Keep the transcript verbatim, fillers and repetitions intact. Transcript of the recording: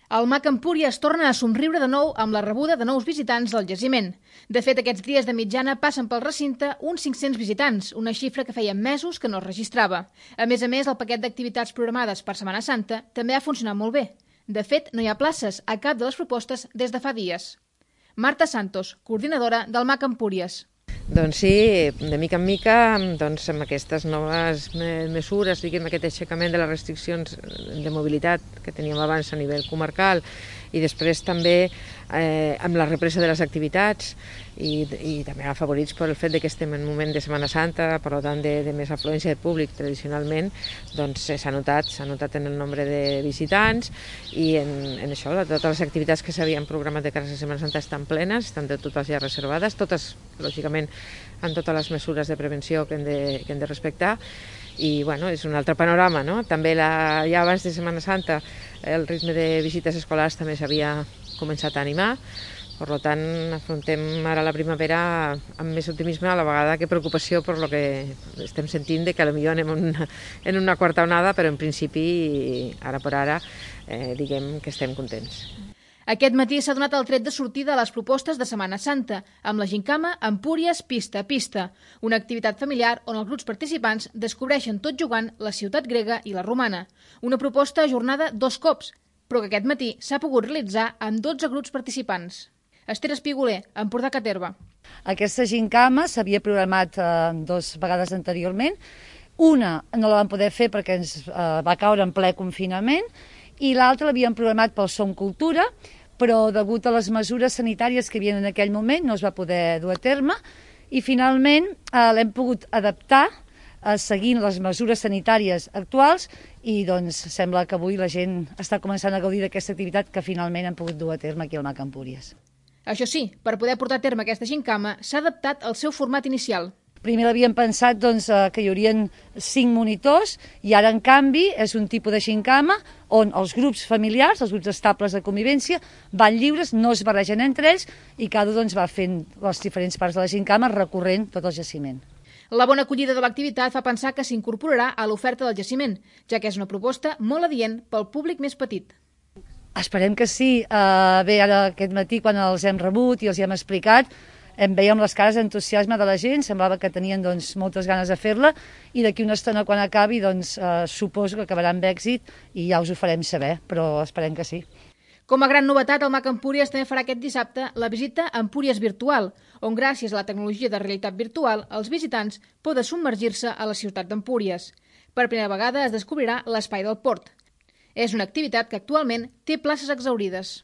El Mac Empúries torna a somriure de nou amb la rebuda de nous visitants del jaciment. De fet, aquests dies de mitjana passen pel recinte uns cinc-cents visitants, una xifra que feia mesos que no es registrava. A més a més, el paquet d'activitats programades per Setmana Santa també ha funcionat molt bé. De fet, no hi ha places a cap de les propostes des de fa dies. Marta Santos, coordinadora del Mac Empúries. Doncs sí, de mica en mica, doncs, amb aquestes noves mesures, diguem, aquest aixecament de les restriccions de mobilitat que teníem abans a nivell comarcal i després també eh, amb la represa de les activitats i, i també afavorits per el fet de que estem en un moment de Setmana Santa, per tant de, de més afluència de públic tradicionalment, doncs s'ha notat, s'ha notat en el nombre de visitants i en, en això, totes les activitats que s'havien programat de cara a la Setmana Santa estan plenes, estan de totes ja reservades, totes, lògicament, amb totes les mesures de prevenció que hem de, que hem de respectar. I bueno, és un altre panorama, no? També la, ja abans de Setmana Santa el ritme de visites escolars també s'havia començat a animar, per tant afrontem ara la primavera amb més optimisme a la vegada que preocupació per lo que estem sentint de que potser anem en una, en una quarta onada, però en principi ara per ara eh, diguem que estem contents. Aquest matí s'ha donat el tret de sortida a les propostes de Setmana Santa, amb la gincama Empúries Pista a Pista, una activitat familiar on els grups participants descobreixen tot jugant la ciutat grega i la romana. Una proposta ajornada dos cops, però que aquest matí s'ha pogut realitzar amb dotze grups participants. Esther Espiguler, Empordà Caterva. Aquesta gincama s'havia programat eh, dues vegades anteriorment. Una no la vam poder fer perquè ens eh, va caure en ple confinament i l'altra l'havíem programat pel Som Cultura, però degut a les mesures sanitàries que hi havia en aquell moment no es va poder dur a terme i finalment eh, l'hem pogut adaptar eh, seguint les mesures sanitàries actuals i doncs sembla que avui la gent està començant a gaudir d'aquesta activitat que finalment hem pogut dur a terme aquí al Mac Empúries. Això sí, per poder portar a terme aquesta gincama s'ha adaptat al seu format inicial. Primer l'havíem pensat doncs, que hi haurien cinc monitors i ara, en canvi, és un tipus de gincama on els grups familiars, els grups estables de convivència, van lliures, no es barregen entre ells i cada un doncs, va fent les diferents parts de la gincama recorrent tot el jaciment. La bona acollida de l'activitat fa pensar que s'incorporarà a l'oferta del jaciment, ja que és una proposta molt adient pel públic més petit. Esperem que sí. Uh, bé, ara aquest matí, quan els hem rebut i els hi hem explicat, em veiem les cares d'entusiasme de la gent, semblava que tenien doncs, moltes ganes de fer-la i d'aquí una estona quan acabi doncs, eh, suposo que acabarà amb èxit i ja us ho farem saber, però esperem que sí. Com a gran novetat, el Mac Empúries també farà aquest dissabte la visita a Empúries Virtual, on gràcies a la tecnologia de realitat virtual els visitants poden submergir-se a la ciutat d'Empúries. Per primera vegada es descobrirà l'espai del port. És una activitat que actualment té places exhaurides.